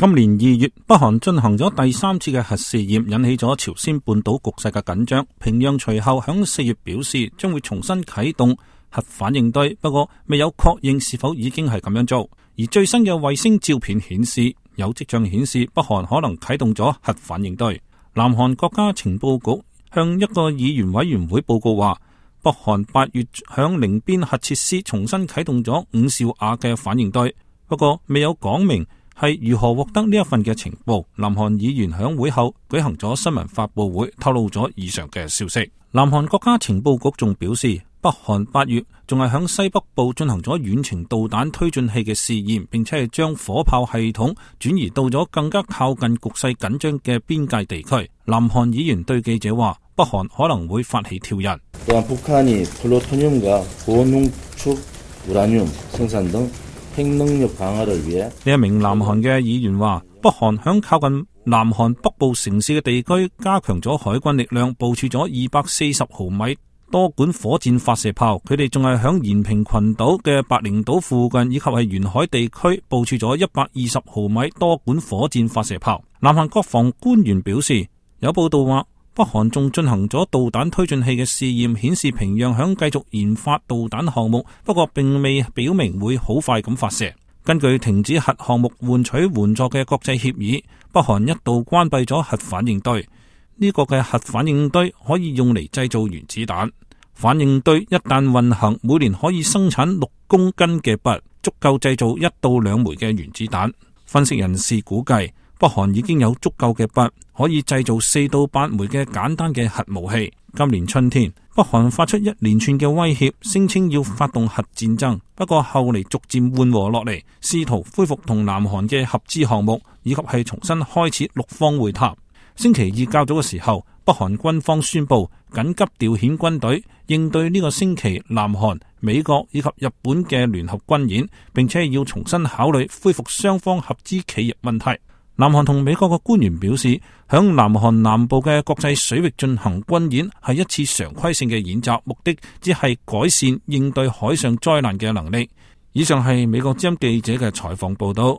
今年2月，北韓進行咗第3次嘅核試驗，引起咗朝鮮半島局勢嘅緊張。平壤隨後響4月表示將會重新啟動核反應堆，不過未有確認是否已經係咁樣做。而最新嘅衛星照片顯示，有跡象顯示北韓可能啟動咗核反應堆。南韓國家情報局向一個議員委員會報告話，北韓8月響寧邊核設施重新啟動咗5兆瓦嘅反應堆，不過未有講明係如何獲得呢一份嘅情報。南韓議員響會後舉行咗新聞發佈會，透露咗以上嘅消息。南韓國家情報局仲表示，北韓8月仲係響西北部進行咗遠程導彈推進器嘅試驗，並且係將火炮系統轉移到咗更加靠近局勢緊張嘅邊界地區。南韓議員對記者話，北韓可能會發起挑釁。북한이 플루토늄과 고농축 우라늄 생산 등 핵능력 강화를 위해呢一名南韓嘅議員話，北韓響靠近南韓北部城市嘅地區加強咗海軍力量，部署咗240毫米多管火箭發射炮。佢哋仲係響延平群島嘅白翎島附近以及係沿海地區部署咗120毫米多管火箭發射炮。南韓國防官員表示，有報道話北韓仲進行咗導彈推進器嘅試驗，顯示平壤響繼續研發導彈項目，不過並未表明會好快咁發射。根據停止核項目換取援助嘅國際協議，北韓一度關閉咗核反應堆。呢個嘅核反應堆可以用嚟製造原子彈。反應堆一旦運行，每年可以生產6公斤嘅鈈，足夠製造1到2枚嘅原子彈。分析人士估計，北韓已經有足夠嘅鈈，可以製造4到8枚嘅簡單嘅核武器。今年春天，北韓發出一連串嘅威脅，聲稱要發動核戰爭，不過後嚟逐漸緩和落嚟，試圖恢復同南韓嘅合資項目，以及係重新開始6方會談。星期二較早嘅時候，北韓軍方宣布緊急調遣軍隊，應對呢個星期南韓、美國以及日本嘅聯合軍演，並且要重新考慮恢復雙方合資企業問題。南韓同美國嘅官員表示，響南韓南部嘅國際水域進行軍演係一次常規性嘅演習，目的只係改善應對海上災難嘅能力。以上係美國之音記者嘅採訪報道。